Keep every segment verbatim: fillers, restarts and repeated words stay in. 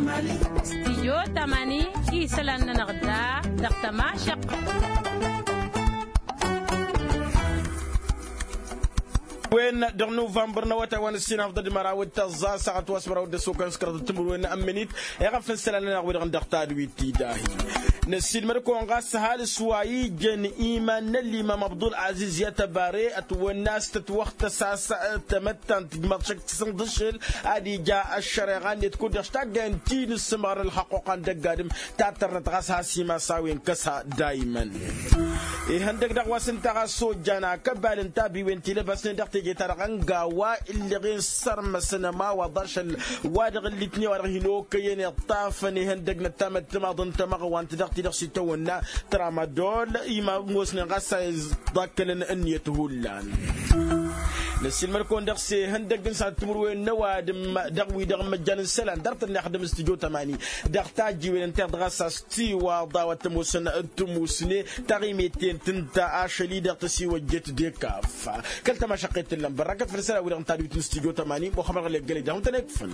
Stijyo tamani isălan-nănăɣ da dăɣ-tămašăqqăt. Wen dăɣ-nuvănbăr n-awătay wa n-ǝssin afḍăd măraw d-tăẓẓa saɣăt wa s-măraw d-ăssokăn s-kăraḍăt timǝrwen n-ămmǝnit. Iɣăf n-isălan-nănăɣ wi-dăɣ dăɣ-tadwit tidahi năssiilmăd-kăwăn ɣas ăhalǝs wa ijăn iman n-ălimam abdul aziz i-ad-tăbare ătwănna a-s tǝtwăɣtăs a-s tamăttant ǝjmaḍ šăkk s-inḍǝššel. Ad-ija ăššăreɣa-net kud-dăɣ s-taggayăn ti n-ǝssǝmɣăr n-ălxăqquqa n-dăgg-adǝm. Tattărnăt ɣas has-imas a-wen kăsa daymăn. Ihăndăg dăɣ-wa s-ǝnta ɣas ojjan akăbal n-tabiwen tilăbasnen dăɣ-teje-ta-dăɣ ănga wa ǝlleɣen s-sărmăsăn ămawaḍ ašăl wa dăɣ-ǝllitnen wa dăɣ-hin-okăyăn iṭṭafăn ihăndăg n-ăttamăttămaḍ n-tamăɣwant dăɣ-ti-dăɣ s-itawănna tramadol. Imămosnen ɣas a iẓḍakkălăn ǝnniyăt hullan. Năssiilmăd-kăwăn dăɣ-s ihăndăg n-sănat timǝrwen n-ăwadǝm dăɣ-wi-dăɣ n-măjjan n-isălan dăr-tăn n-ixdǝm s-tijo tămani dăɣ-tajjiwen ǝnta iḍ ɣas a-s tiwaḍa wa t-ămoosăn d-tămusne taɣimeten tǝnta ašăl-i-dăɣ tăsiwăjjet d-ekaf. Kăl-tămašăqqet tǝllăm bărrakăt făll-isălan-wi-dăɣ n-tadwit n-stijo tămani muxămăd ɣǝlek gălăy d-ahun-tăn-ekfăn.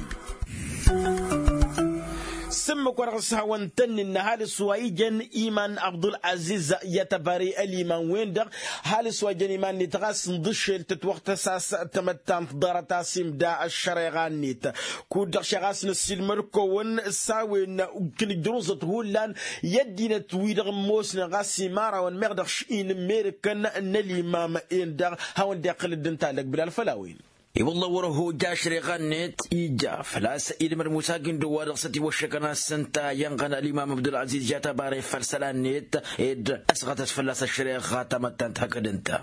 S-ǝmmǝk wa dăɣ-s hawăn-tăn-innă ăhalǝs wa ijăn iman abdul-aziz i-ad-tăbari ăliman-wen-dăɣ. Ăhalǝs wa ijăn iman-net ɣas ǝnḍǝššel tǝtwăɣtăs a-s tamăttant ḍarăt-as imda ăššăreɣa-net. Kud-dăɣ šeɣ a-s năssiilmăd-kăwăn s-a-wen ǝknǝjrǝẓăt hullan i-ăddinăt-wi-dăɣ ămoosnen ɣas imărawăn meɣ dăɣ-š-inǝmmerǝkăn n-ălimam-en-dăɣ. Hawăn-dd-iqqǝl dd-ǝnta a lăgbǝl alfăl a-wen. I-wălla wăr-ăhhoj ašreɣa-net ija făl-a-s ilmăd musa gindo wa dăɣ-s ătiwăššăkăn a-s ǝnta iyyănɣăn ălimam abdul-aziz i-ad-tăbare făll-isălan-net ed ăsɣătăs fălla-s ăššăreɣa tamăttant hakd ǝnta.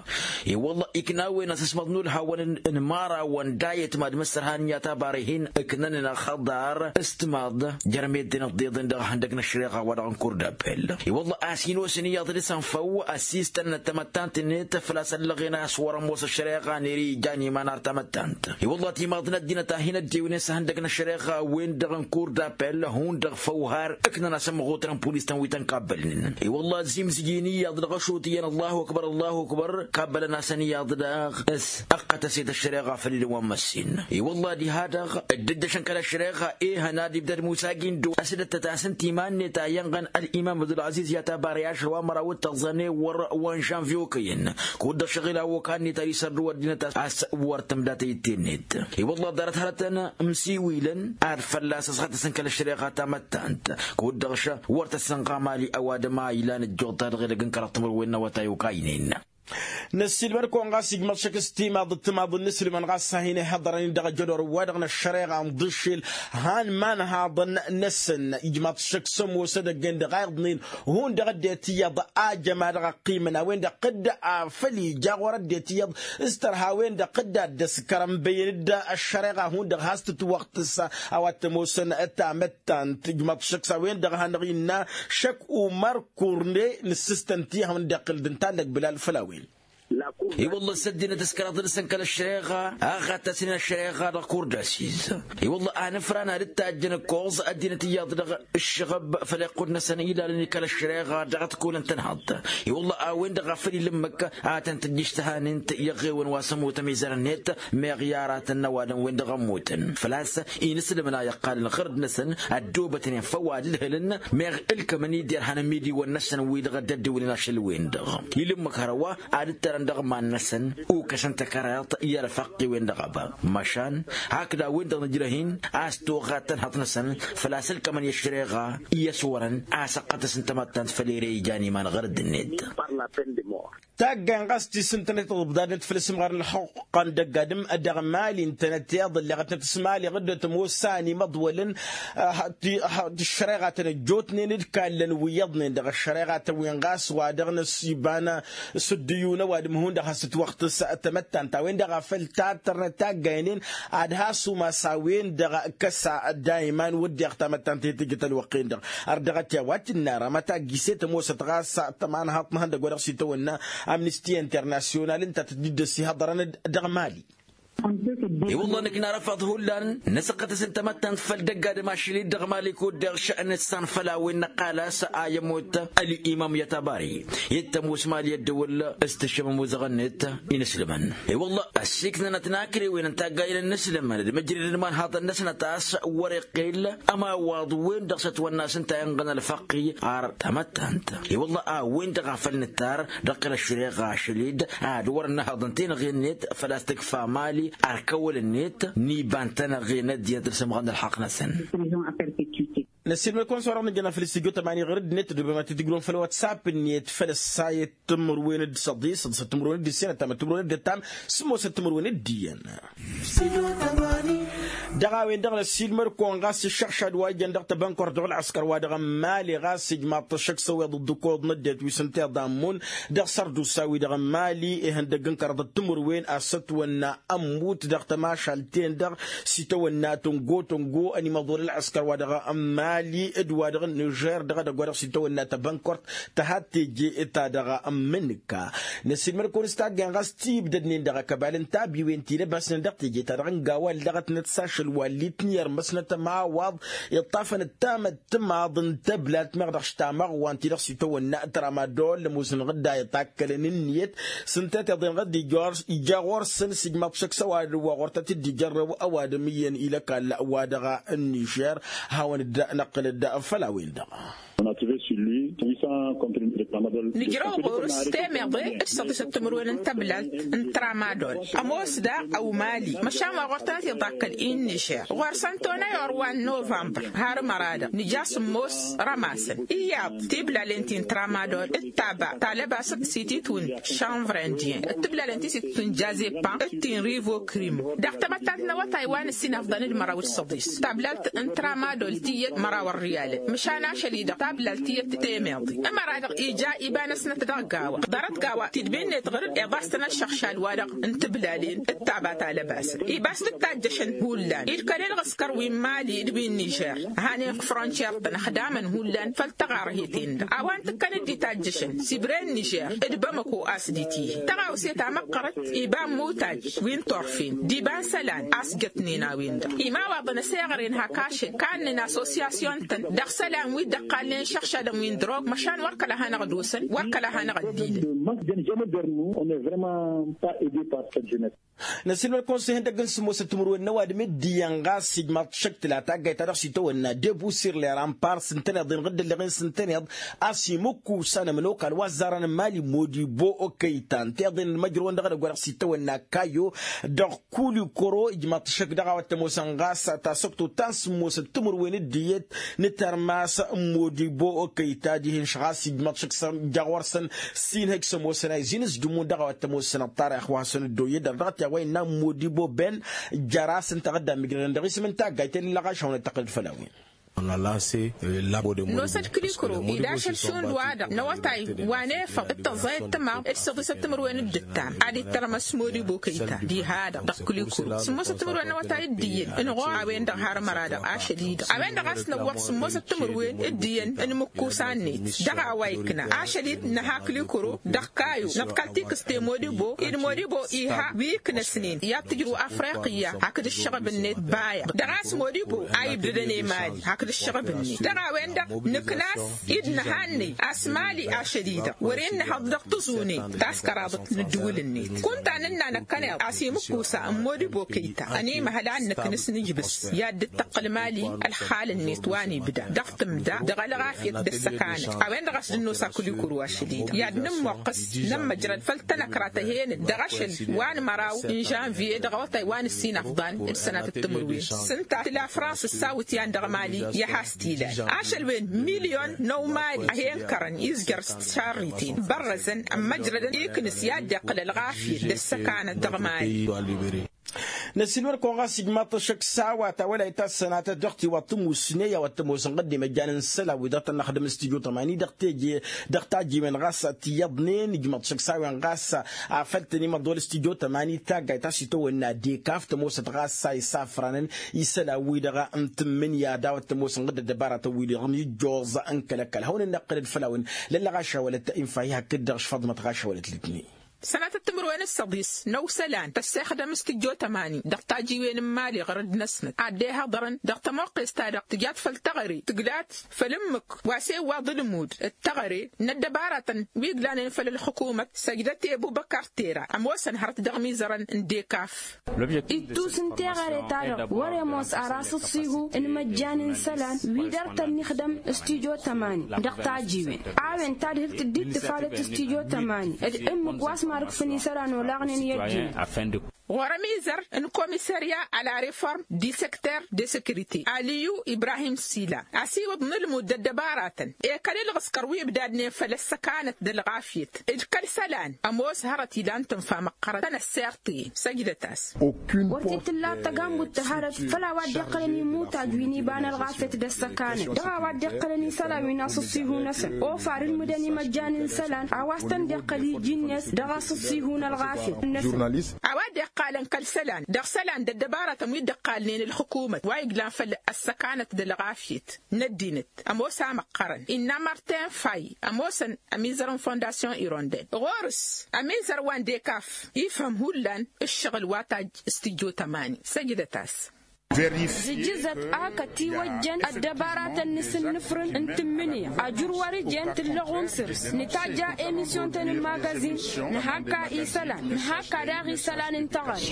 I-wălla ikna a-wen asǝsmăḍ n-ulhawăn n-imărawăn d-ayǝtmad mǝssărhan i-ad-tăbare hin-ǝknănen ăxăḍar s-timaḍ jer-meddǝn ǝḍḍeḍen dăɣ-ihăndăg n-ăššăreɣa wa dăɣ-n kur d-apel. I-wălla a-s hin-osăn iyyăḍ dăɣ-s ănfăw ăssiistăn n-ăttămăttant-net făl-a-s ăllăɣen a-s wăr-ămoos ăššăreɣa n-ere ijan iman ar tamăttant. I-wălla timaḍ n-ăddinăt a hin-ăddewnen s-ihăndăg n-ăššăreɣa-wen-dăɣ n-kur d-apel hundăɣ făw har ǝknăn asǝmmăɣutăn n-pulis-tăn wi tăn-kabbălnen. I-wălla ăzzimzǝj-in iyyăḍ dăɣ-ašut iyyăn ăllahu ăkbăr ăllahu ăkbăr kabbălăn-asăn iyyăḍ daɣ s-ăqqătăset ăššăreɣa făll-ilǝwăn măssin. I-wălla diha-dăɣ dd-ǝjjăšăn kăl-ăššăreɣa ehăn ad-ibdăd musa gindo ăsdăttăt-asǝn timan-net a iyyănɣăn ălimam abdul-aziz i-ad-tăbare ašăl wa măraw d-tăẓẓa n-ewăr wa n-žănvyo kăyăn. Kud-dăɣ šăɣil a okal-net ad-isărrǝw ăddinăt a-s wăr tǝmda tăyǝtte-net. I-wălla ḍarăt hărătăn ǝmsiwilăn ad-fălla-s ăsɣătăsăn kăl-ăššăreɣa tamăttant. Kud-dăɣ šăɣ wăr tăt-sănɣa mali ăwadǝm a ilan ăjjoḍ-ta-dăɣ edăgg n-kăraḍ timǝrwen n-awătay okaynen. Năssiilmăd-kăwăn ɣas ijmăḍ šăkk s-timaḍ d-timaḍ n-inǝslǝmăn ɣas a hin-ihaḍărăn-in dăɣ-ejădor wa-dăɣ n-ăššăreɣa n-iḍǝššel han imanhaḍăn-năsăn ijmăḍ šăkk s-ămoos edăgg-en-dăɣ a iḍnen hundăɣ ăddinăt iyyăḍ a jăma dăɣ-ăqqimăn a-wen-dăɣ dd-afăl ija ɣur-ăddinăt iyyăḍ s-tărha a-wen-dăɣ dd-ad-dd-ăskărăn băyyăn-dd ăššăreɣa hundăɣ has-tǝtwăɣtǝs a-wa t-ămoosăn tamăttant ijmăḍ šăkk s-a-wen-dăɣ a hanăɣ-innă šăkk umăr kurne nǝssǝstăn-t i-ad-hawăn-dd-iqqǝl d-ǝnta n-lăgbǝl alfăl a-wen. I-wălla s-ăddinăt ǝskăraḍ dăr-săn kăl-ăššăreɣa a ɣatăsnen ăššăreɣa dăɣ-kurdasiz. I-wălla a nǝfran ad-dd-tajjăn ǝkkoẓ ăddinăt iyyăḍ dăɣ-ǝššăɣăb făll-iqqud-năsăn ilalăn i-kăl-ăššăreɣa dăɣ-tikulăn tănhăḍt. I-wălla a-wen-dăɣ a făl ilǝmmǝk ad-tăn-tǝjjǝš tăhanǝnt i-iɣewăn wa s-ămmut ămizărăn-net meɣ i-aratăn n-ăwadǝm-wen-dăɣ ămmutăn făl-a-s inǝslǝmăn a iqqalăn ɣărd-năsăn ăddoobătnen făw ad-ǝlhǝlăn meɣ ǝlkămăn-i derhan ămidiwăn-năsăn wi-dăɣ ăddăddǝwǝlăn ašăl-wen-dăɣ. Ilǝmmǝk hărwa ad-ǝttărăn dăɣ-iman-năsăn ukăsăn takăraḍt i-ărfăqq-i-wen-dăɣ ăba măšan hakd a-wen-dăɣ nǝjrăh-in a-s toɣa tănhăḍt-năsăn făl-a-s ǝlkămăn i-ăššăreɣa i-ăswărăn a-s ăqqătăsăn tamăttant făll-ere ijan iman ɣărădd-net. Taggayn ɣas ti s-ǝntănăt iḍǝbdadnăt făll-asǝmɣar n-ălxuqqa n-dăgg-adǝm dăɣ-mali ǝntănăt iḍǝlleɣătnăt s-mali ɣǝddăt ămoos a ănimăḍwălăn. Ti ăššăreɣatăn ăjjootnen d-kallăn wi iyyăḍnen dăɣ-ăššăreɣatăn-wen ɣas wa dăɣ-năsiba n-asǝddǝyun ăwadǝm hundăɣ has-tǝtwăɣtǝs tamăttant a-wen-dăɣ a făl tattărnăt taggaynen ad-has-umas a-wen-dăɣ kăsa dayman wădden tamăttant i-tǝjjǝt ălwăqq-en-dăɣ. Ărdăɣăt i-a-wa t-innă aramăt a giset ămoosăt ɣas tămanhaḍt n-ihăndăgg wa dăɣ-s itawănna amnisti internasyonal ǝnta a tǝjjǝd dd-ăsihăḍărăn dăɣ-mali. I-wălla năkk narăfaḍ hullan năsăqqăt-asăn tamăttant făll-dăgg-adǝm ašăl-i-dd dăɣ-mali kud-deɣ šănǝssan făll-a-wen năqqal a-s a ămoot ăl'imam i-ătabari i-dd tămoos mali ăddăwăl s-tǝššăm ămuzăɣ-net. Inǝslǝmăn i-wălla ăssiiknănăt n-akrewen n-taggayăn n-inǝslǝmăn d-măjrăd n-imanhaḍăn-năsnăt a-s wăr-iqqel ămawaḍ-wen-dăɣ s-ătwănna s-ǝnta inɣăn ălfăqq. Ar tamăttant i-wălla a-wen-dăɣ a făl nǝttar dăɣ-kăl-ăššăreɣa ašăl-i-dd ad-wăr-ănnăhăḍ ǝnta-i-năɣ i-net făl-a-s tǝkfa mali. Ar kăwăl-net n-iba ǝnta-năɣ i-net diyyăt d-sămɣăn ălxaqq-năsăn. Năssiilmăd-kăwăn s-orăɣ nǝjjăn afăl s-tijot ămani ɣăr-dd-net d-obăma tǝjrǝwăn făll-whatsapp-net făll-ăssayăt timǝrwen d-săḍis d-săt timǝrwen d-ǝssin ăttam d-timǝrwen d-ăttam. Sǝmmosăt timǝrwen d-iyyăn dăɣ-a-wen-dăɣ năssiilmăd-kăwăn ɣas ǝššăɣšad wa ijăn dăɣ-tebănkărt dăɣ-ălɣăskăr wa dăɣ-ămmali ɣas ijmaḍ-t ăššăk s-ăwweḍ d-ǝkkoḍ n-ăddinăt wi s-ǝnta iḍammǝn dăɣ-sărdusa-wi-dăɣ ămmali ihăndăgg n-kăraḍăt timǝrwen a-s ătwănna ămmut dăɣ-tămašalt-en-dăɣ s-itawănna tǝngo-tǝngo ănimăḍol ălɣăskăr wa dăɣ-ămmali d-wa dăɣ-nižer dăɣ-edăgg wa dăɣ-s itawănna tebănkărt tăhat teje ta dăɣ-ămmǝnǝk. Năssiilmăd-kăwăn s-taggayăn ɣas tibdădnen dăɣ-akăbal n-tabiwen ti lăbasnen dăɣ-teje-ta-dăɣ n-gawal dăɣ-tnăt s-ašăl wa ǝlli-tăn i-irmăsnăt ămawaḍ iṭṭafăn d-tamăttămaḍ n-tăblalt meɣ dăɣ-š tamăɣwa n-ti-dăɣ s-itawănna tramadol ămoosăn ɣǝdda iṭakkălăn ǝnniyăt s-ǝnta tiḍen ɣǝdda ija ɣur-săn s-ijmaḍ šăkk s-ăwadǝm wa ɣur-tăt-dd-ijărrăw ăwadǝm iyyăn i-lăkall wa dăɣ-ănnižer. Hawăn-dd-năqqǝl-dd făll-a-wen-dăɣ. Nǝjrăw ɣur-s temeḍe d-săḍisăt timǝrwen n-tăblalt n-tramadol ămoos daɣ ăwmali măšan wa ɣur-tănăt iḍakkăl i-ǝnnižer ɣur-săn tonăyor wa n-novămbăr har ămăra-dăɣ nǝja sǝmmos rămasăn iyyăḍ tiblalen ti n-tramadol d-taba ta lăbasăt s-ititwǝn šanvrendyen d-tiblalen ti s-ititwǝn jazepan d-ti n-rivokrimo dăɣ-tamăttant n-awătay wa n-ǝssin afḍăn d-măraw d-săḍis tablalt n-tramadol tiyyăt măraw ărriyalăn măšan ašăl-i-dăɣ tablalt tiyyăt temeḍe ămăra-dăɣ ija iba-năsnăt dăɣ-gawa ḍarăt gawa tidbi-net ɣǝr-dd iḍa s-tăn-ăššăɣšal wa-dăɣ n-tiblalen d-taba ta lăbasăn iba s-tǝttajjăšăn hullan-i d-kăl-ilɣǝskăr wi n-mali d-wi n-nižer hanen frontiyer-tăn ăxdamăn hullan făll-tăɣarhet-en-dăɣ a-wa n-tǝkkăn dd-itajjăšăn s-ibre n-nižer d-bamăko a-s d-itihi tăɣawse ta măqqărăt iba n-imutaj wi n-turfen d-iba n-isălan a-s jătnen a-wen-dăɣ imawaḍăn ăseɣăren hak ašăl kannăn asosiyasyon-tăn dăɣ-isălan wi dd-ăqqalnen išăɣšadăn wi n-drog măšan wăr kăla hanăɣ-dd-osăn wăr kăla hanăɣ-dd-ilăn. Năssiilmăd-kăwăn s-ihăndăgg n-sǝmmosăt timǝrwen n-ăwadǝm d-iyyăn ɣas ijmaḍ-t šăkk tǝla taggayt-ta-dăɣ s-itawănna debusir leran pars ǝntăneḍ-en ɣǝddălleɣ-en s-ǝntăneḍ a-s imǝkkusa n-ămănokal wa ăzzarăn n-mali modibo okăytan tiḍen n-imăjrăwăn dăɣ-edăgg wa dăɣ-s itawănna kayo dăɣ-kulikoro ijmaḍ-t šăkk dăɣ-a-wa t-ămoosăn ɣas tasăktot ta n-sǝmmosăt timǝrwen d-iyyăt n-tărmas n-modibo okăyta dihen-š ɣas ijmaḍ-t šăkk s-ija ɣur-săn s-inhăj s-ămoosăn a izin s-jǝmmun dăɣ-a-wa t-ămoosăn ăṭṭarăyăx wa hasăn-dd-oyyădăr dăɣ-t i-a-wa innă n-modibo ben jăr-as ǝnta ɣǝdda n-migrădăn dăɣ-isǝm n-taggayt ălleɣ ašăwnăt tăqqǝlăd făll-a-wen. Nosăt kǝlikǝro-i d-ašăl šund-wa-dăɣ n-awătay wa n-efăḍ d-tăẓẓayăt timaḍ d-săḍisăt timǝrwen d-ǝttam ad-ittărmăs modibo kăyta diha-dăɣ dăɣ-kǝlikǝro sǝmmosăt timǝrwen n-awătay d-iyyăn ǝnɣur a-wen-dăɣ har ămăra-dăɣ ašăl-i-dăɣ a-wen-dăɣ a-s năwwăḍ sǝmmosăt timǝrwen d-iyyăn n-imǝkkusa-net dăɣ-a-wa ikna ašăl-i d-nǝha kǝlikǝro dăɣ-kayo năḍkal tikǝste modibo-i d-modibo iha wi iknăsnen i-ad-tǝjrǝw afriqǝyya hakd ǝššăɣb-net baya dăɣ-a-s modibo a ibdădăn i-mali hakd ǝššăɣb-net dăɣ-a-wen-dăɣ nǝkna-s i-d nǝhannăy a-s mali ašăl-i-dăɣ wăr-innăhăḍ dăɣ-tǝẓune ta s-kăraḍăt n-ǝddǝwǝl-net kunta nǝnna năkkăneḍ a-s imǝkkusa n-modibo kăyta ănimăhăl a dd-nǝknǝs nǝjbǝs i-ad-dd-tăqqǝl mali ălxal-net wa n-ibda dăɣ-tǝmda dăɣ-ălɣafyăt d-ăssăkanăt a-wen-dăɣ a-s dd-nosa kǝlikǝro ašăl-i-dăɣ i-ad-nǝmmuqqǝs nămmăjrăd făll-tanăkra tăhenăt dăɣ-ašăl wa n-măraw n-žănvye dăɣ-awătay wa n-ǝssin afḍan d-sănatăt timǝrwen s-ǝnta tǝla frans ǝssawǝt i-an dăɣ-mali i-ad-has-t-ilal ašăl-wen milyon n-ăwmali a he-ǝnkărăn izjăr s-tišarriten bărrăzăn ămmăjrădăn iknǝs i-ad-dd-iqqǝl ălɣafyăt d-ăssăkanăt dăɣ-mali. Năsiilmăd-kăwăn ɣas ijmaḍ-t ăššăk s-a-wa tawălayt ta s-sănatăt dăɣ-tiwaḍ tămusne i-a-wa t-ămoosăn ɣǝddem ăjjan n-isălan-wi-dăɣ tănnăxdăm n-stujo tămani dăɣ-teje dăɣ-tajiwen ɣas tiyyăḍnen ijmaḍ-t ăššăk s-a-wen ɣas afăl tăn-imăḍol stujo tămani taggayt ta s-itawănna dekaf tămoosăt ɣas a isafranăn isălan-wi-dăɣ n-tǝmmǝnǝya d-a-wa t-ămoosăn ɣǝddǝd ăbaratăn-wi-dăɣ n-ijjoẓ n-kăl-ăkall hawăn-dd-năqqǝlăd făll-a-wen lăllăɣ ašawălăt infa-i hakd-dăɣ šfăḍmăt ɣašawălăt lǝtni. Sănatăt timǝrwen s-săḍis n-ăwsălan tăssexdăm s-tǝjjo tămani dăɣ-tajiwen n-imali ɣărăd-năsnăt ad-dd-ehăḍărăn dăɣ-tămoqqes-ta-dăɣ tǝjat făll-teɣăre tǝglat făll-ǝmmǝk wa s-e-iwwaḍ ǝlmud d-teɣăre n-ăddăbaratăn wi ǝglanen făll-ălxǝkumăt. Săjdăt i-ăbubăkar tera ămoosăn hărăt dăɣ-imizărăn n-dekaf. Ittus n-teɣăre-ta-dăɣ wăr-e ămoos ar asǝṣṣihu n-imăjjan n-isălan wi dăr-tăn-ixdăm s-tijo tămani dăɣ-tajiwen a-wen tadhǝlt dd-tǝfalăt s-tijo tămani d-ǝmmǝk wa s-marǝkfăn isălan olaɣnen i-ăddinăt. Ɣur-ămizăr n-komisărya a la reform di secter de securite aliyu ibrahim sila asiwǝḍ n-ǝlmud d-ăddăbaratăn ekăl-ilɣǝskăr wi ǝbdadnen făll-ăssăkanăt d-ălɣafyăt d-kăl-isălan ămoos hărăt ilan tǝnfa măqqărăt tăn-ăssert-i. Săjdăt-as. Wăr t-tǝlla tăgambut ta hărăt făll-a-wa dd-iqqălăn imutaj wi n-iba n-ălɣafyăt d-ăssăkanăt dăɣ-a-wa dd-iqqălăn isălan wi n-asǝṣṣihu-năsăn ofar ǝlmǝdăn imăjjan n-isălan a-wa s-tăn-dd-iqqăl iji-net dăɣ-asǝṣṣihu n-ălɣafyăt-năsăn. A-wa dd-iqqalăn kăl-isălan dăɣ-isălan d-ăddăbarătăn wi dd-ǝqqalnen ǝlxǝkumăt wa iglan făll-ăssăkanăt d-ălɣafyăt n-ăddinăt ămoos a măqqărăn innă martin fay ămoosăn ămizăr n-fondasyon irondel ɣur-s ămizăr wa n-dekaf ifhăm hullan ǝššăɣǝl wa tajj s-tijjo tămani. Săjdăt-as. Zǝjǝzăt a kătiwăjjăn ăddăbaratăn n-asǝnnǝfrǝn n-tǝmmǝnǝya ajur wăr-ǝjăn tǝllăɣum săr-s nǝtajja emisyon-tăn n-magazin nǝhakka isălan nǝhakka daɣ isălan n-teɣăre.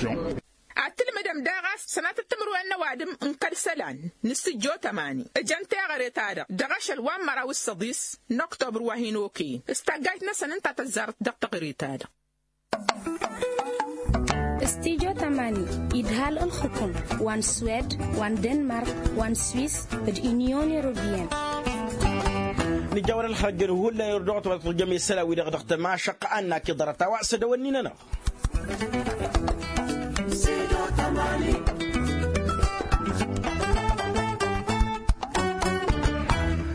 Ad-tǝlmǝdăm daɣ a-s sănatăt timǝrwen n-ăwadǝm n-kăl-isălan n-asǝjjo tămani ǝjăn teɣăre-ta-dăɣ dăɣ-ašăl wa n-măraw s-săḍis n-oktobăr wa hin-okăyăn s-taggajt-năsăn ǝnta tăzzarăt dăɣ-teɣăre-ta-dăɣ. S-tijo tămani idhal ǝlxǝkum wa n-swed wa n-denmark wa n-swis d-inyon europeyăn. Nǝjawăr ălxărjăn hullan irduɣ-t wa tăt-tǝjjăm isălan-wi-dăɣ dăɣ-tămašăqqa annak iḍarăt a-wa s-ădăwănni-nănăɣ.